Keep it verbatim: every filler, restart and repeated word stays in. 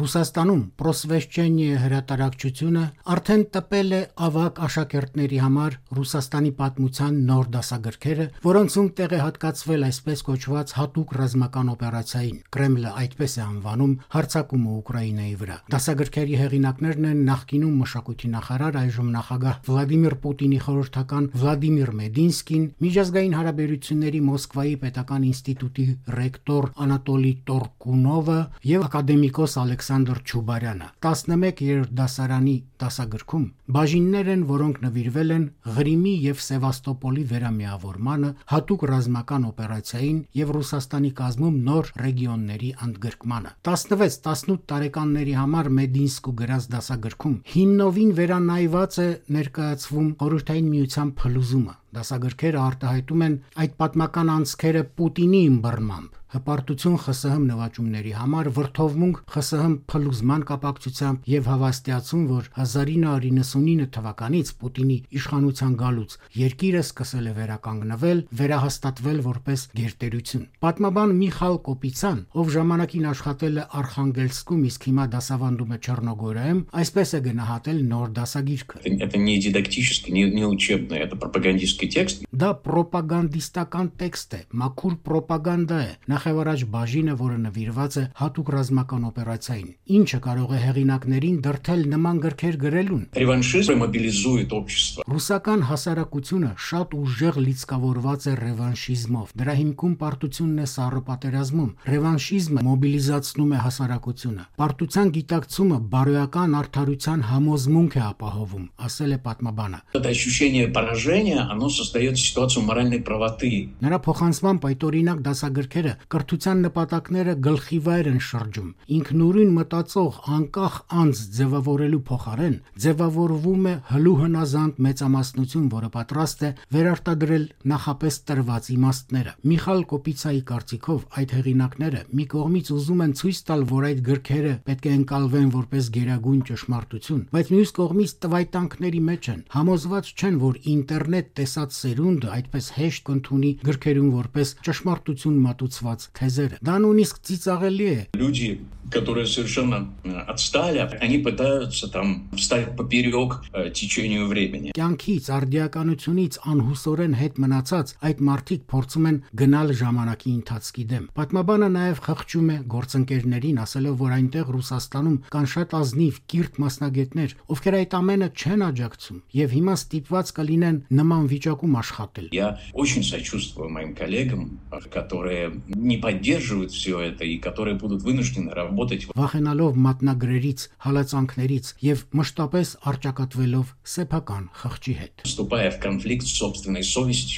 Ռուսաստանում «Պրոսվեշչենիե» հրատարակչությունը արդեն տպել է ավագ աշակերտների համար Ռուսաստանի պատմության նոր դասագրքերը, որոնցում տեղ է հատկացվել այսպես կոչված հատուկ ռազմական օպերացիային։ Կրեմլը այդպես է անվանում հարձակումը Ուկրաինայի վրա։ Դասագրքերի հեղինակներն են նախկինում մշակույթի նախարար, այժմ նախագահ Վլադիմիր Պուտինի խորհրդական Վլադիմիր Մեդինսկին, միջազգային հարաբերությունների Մոսկվայի պետական ինստիտուտի ռեկտոր Անատոլի Տորկունովը եւ ակադեմիկոս Ալեքսանդր Չուբարյանը։ տասնմեկ երրորդդասարանի դասագրքում բաժիններ են, որոնք նվիրվել են Ղրիմի եւ Սևաստոպոլի վերամիավորմանը, հատուկ ռազմական օպերացիային եւ Ռուսաստանի կազմում նոր ռեգիոնների ընդգրկմանը։ տասնվեց տասնութ տարեկանների համար Մեդինսկու գրած դասագրքում հիմնովին վերանայված է ներկայացվում Խորհրդային Միության փլուզումը։ Դասագրքերը արտահայտում են այդ պատմական անցքերը Պուտինի ըմբռնմամբ, հպարտություն ԽՍՀՄ նվաճումների համար, վրդովմունք ԽՍՀՄ փլուզման կապակցությամբ եւ հավաստիացում, որ հազար ինը հարյուր նվաթ թվականից Պուտինի իշխանության գալուց երկիրը սկսել է վերականգնվել, վերահաստատվել որպես գերտերություն։ Պատմաբան Միխայլ Կոպիցյան, ով ժամանակին աշխատել է Արխանգելսկում, իսկ հիմա դասավանդում է Չեռնոգորիայում, այսպես է գնահատել նոր դասագիրքը։ Это не дидактический, не, не учебный, это пропагандистский текст. Դա պրոպագանդիստական տեքստ է, մաքուր պրոպագանդա է, նախևառաջ բաժինը, որը նվիրված է հատուկ ռազմական օպերացիային, ինչը կարող է հեղինակներին դրդել նման գրքեր գրելուն։ Реваншизм мобилизует общество. Ռուսական հասարակությունը շատ ուժեղ լիցքավորված է ռևանշիզմով։ Դրա հիմքում պարտությունն է սառը պատերազմում։ Ռևանշիզմը մոբիլիզացնում է հասարակությունը։ Պարտության գիտակցումը բարոյական արդարության համոզմունք է ապահովում, ասել է պատմաբանը։ Это ощущение поражения, оно создает ситуацию моральной правоты. Նրա փոխանցման պայտորինակ դասագրքերը կրթության նպատակները գլխիվայր են շրջում։ Ինքնուրույն մտածող անկախ անձ ձևավորելու փոխարեն ձևավորվում է հլու հնազանդ մեծամասնություն, որը պատրաստ է վերարտադրել նախապես տրված իմաստները։ Միխայլ Կոպիցայի կարծիքով այդ հեղինակները մի կողմից ուզում են ցույց տալ, որ այդ գրքերը պետք է ընկալվեն որպես գերագույն ճշմարտություն, բայց մյուս կողմից տվայտանքների մեջ են, համոզված չեն, որ ինտերնետ տեսած սերունդը այդպես հեշտ կընդունի գրքերում որպես ճշմարտություն մատուցված թեզերը։ Դա նույնիսկ ծիծաղելի է։ Люди, которые совершенно отстали, они пытаются там встать поперек течению времени. Կյանքից, արդիականությունից անհուսորեն հետ մնացած այդ մարդիկ փորձում են գնալ ժամանակի ընթացքի դեմ։ Պատմաբանը նաև խղճում է գործընկերներին, ասելով, որ այնտեղ Ռուսաստանում կան շատ ազնիվ կիրթ մասնագետներ, ովքեր այդ ամենը չեն աջակցում եւ հիմա ստիպված կլինեն նման վիճակում աշխատել։ Я очень сочувствую моим коллегам, которые не поддерживают все это и которые будут вынуждены работать. Վախենալով մատնագրերից, հալածանքներից եւ մշտապես արճակատվելով սեփական խղճի հետ։ Вступая в конфликт с собственной совестью.